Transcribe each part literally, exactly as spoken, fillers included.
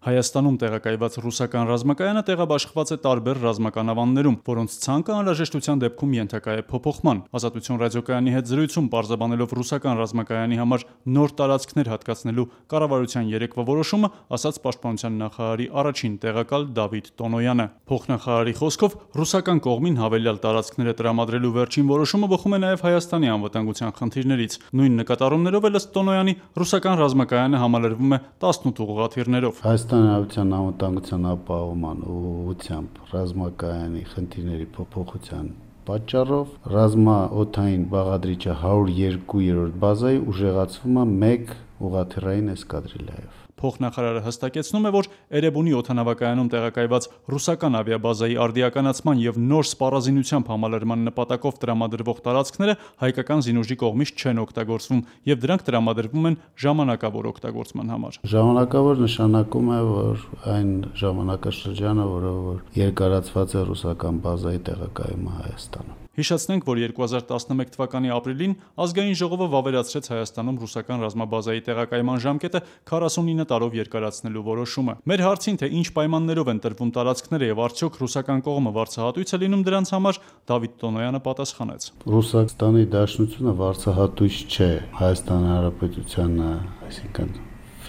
Հայաստանում տեղակայված ռուսական ռազմակայանը տեղաբաշխված է տարբեր ռազմական ավաններում, որոնց ցանկը անհրաժեշտության դեպքում ենթակա է փոփոխման։ Ազատություն ռադիոկայանի հետ զրույցում պարզաբանելով ռուսական ռազմակայանի համար նոր տարածքներ հատկացնելու կառավարության երեկվա որոշումը, ասաց պաշտպանության նախարարի առաջին տեղակալ Դավիթ Տոնոյանը։ Փոխնախարարի խոսքով ռուսական կողմին հավելյալ տարածքները տրամադրելու վերջին որոշումը բխում է նաև Հայաստանի անվտանգության խնդիրներից։ Նույն նկատառումներով էլ ըստ Տոնոյանի ռուսական ռազմակայանը համալրվում է տասնութ ուղղաթիռներով։ Հայաստանի անվտանգության ապահովման ուղղությամբ ռազմակայանի խնդիրների փոփոխության պատճառով ռազմաօդային բաղադրիչը հարյուր երկու-րդ բազայի ուժեղացվում է մեկ ուղղաթիռային էսկադրիլայով։ Փոխնախարարը հստակեցնում է, որ Էրեբունի օդանավակայանում տեղակայված ռուսական ավիաբազայի արդիականացման եւ նոր սպառազինությամբ համալրման նպատակով տրամադրվող տարածքները հայկական զինուժի կողմից չեն օգտագործվում եւ դրանք տրամադրվում են ժամանակավոր օգտագործման համար։ Ժամանակավոր նշանակում է, որ այն ժամանակաշրջանը, որը որ երկարացված է ռուսական բազայի տեղակայումը Հայաստանում։ Հիշեցնենք, որ երկու հազար տասնմեկ թվականի ապրիլին ազգային ժողովը վավերացրեց Հայաստանում ռուսական ռազմաբազայի տեղակայման ժամկետը քառասունինը տարով երկարացնելու որոշումը։ Մեր հարցին, թե ինչ պայմաններով են տրվում տարածքները եւ արդյոք ռուսական կողմը վարձահատույց է լինում դրանց համար, Դավիթ Տոնոյանը պատասխանեց. Ռուսաստանի Դաշնությունը վարձահատույց չէ Հայաստանի Հանրապետությանը, այսինքն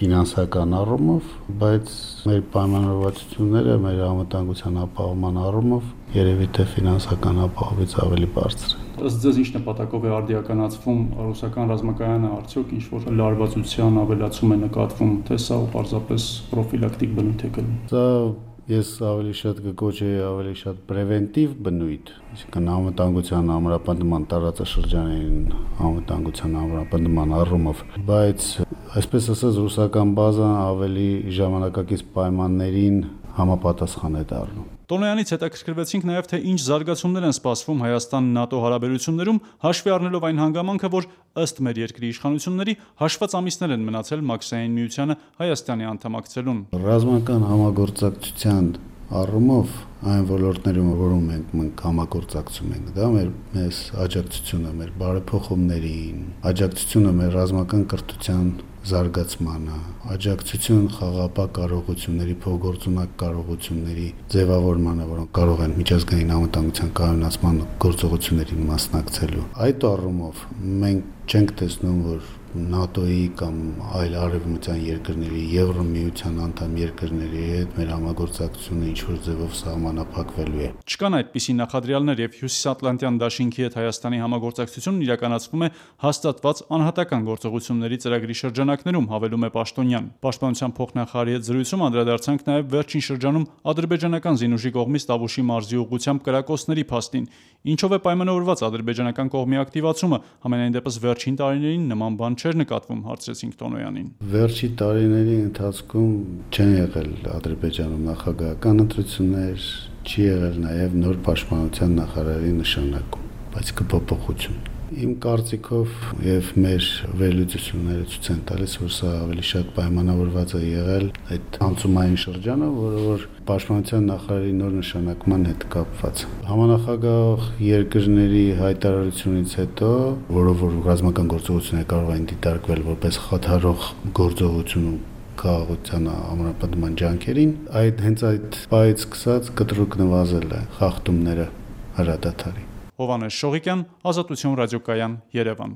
ֆինանսական առումով, բայց մեր պայմանավորվածությունները մեր անվտանգության ապահովման առումով երևի թե ֆինանսական ապահովից ավելի բարձր են։ Ըստ ձեզ ինչ նպատակով է արդիականացվում ռուսական ռազմակայանը, արդյոք ինչ որ լարվածության ավելացում է նկատվում, թե սա պարզապես պրոֆիլակտիկ բնույթ է կրում։ Սա ես ավելի շատ կկոչեի ավելի շատ պրևենտիվ բնույթ, այսինքն անվտանգության ամրապնդման տարածաշրջանային անվտանգության ամրապնդման առումով, բայց այսպես ասած ռուսական բազան ավելի ժամանակակից պայմաններին համապատասխան է դառնում։ Տոնոյանից հետաքրքրվեցինք նաև, թե ինչ զարգացումներ են սպասվում Հայաստան-ՆԱՏՕ հարաբերություններում, հաշվի առնելով այն հանգամանքը, որ ըստ մեր երկրի իշխանությունների հաշված ամիսներ են մնացել Մաքսային միությանը Հայաստանի անդամակցելուն։ Ռազմական համագործակցության առումով այն ոլորտներում, որում մենք մենք համագործակցում ենք, դա մեր մեզ աջակցությունը մեր բարեփոխումներին, աջակցությունը մեր ռազմական կրթության զարգացմանը, աջակցություն խաղապահ կարողությունների, փոխգործունակ կարողությունների ձևավորմանը, որոնք կարող են միջազգային անվտանգության կայունացման գործողություններին մասնակցելու։ Այդ առումով մենք չենք տեսնում, որ ՆԱՏՕ-ի կամ այլ արևմտյան երկրների, Եվրոմիության անդամ երկրների հետ մեր համագործակցությունը ինչ-որ ձևով սահմանափակվելու է։ Չկան այդպիսի նախադրյալներ եւ Հյուսիսատլանտյան դաշինքի հետ Հայաստանի համագործակցությունն իրականացվում է հաստատված անհատական գործողությունների ծրագրի շրջանակներում, հավելում է Պաշտոնյան։ Պաշտպանության փոխնախարարի հետ զրույցում անդրադարձանք նաեւ վերջին շրջանում ադրբեջանական զինուժի կողմից Տավուշի մարզի ուղղությամբ կրակոցների փաստին։ Ինչով է պայմանավորված ադրբեջանական կողմի ակտիվացումը, համենայն դեպս վերջին տարիներին նման բան չէր նկատվում, հարցրեցինք Տոնոյանին։ Վերջի տարիների ընթացքում չեն եղել Ադրբեջանում նախագահական ընտրություններ, չի եղել նաև նոր պաշտպանության նախարարի նշանակում, բայց կփոփոխություն։ Իմ կարծիքով եւ մեր վերլուծությունները ցույց են տալիս, որ սա ավելի շատ պայմանավորված է եղել այդ անցումային շրջանը, որը որ պաշտպանության նախարարի նոր նշանակման հետ կապված։ Համանախագահ երկրների հայտարարությունից հետո, որով որ ռազմական գործողությունները կարող են դիտարկվել որպես խաթարող գործողություն քաղաքության ամրապնդման ջանքերին, այդ հենց այդ պայից սկսած կտրուկ նվազել է խախտումները հրադադարի։ Հովհաննես Շողիկյան, Ազատություն ռադիոկայան, Երևան։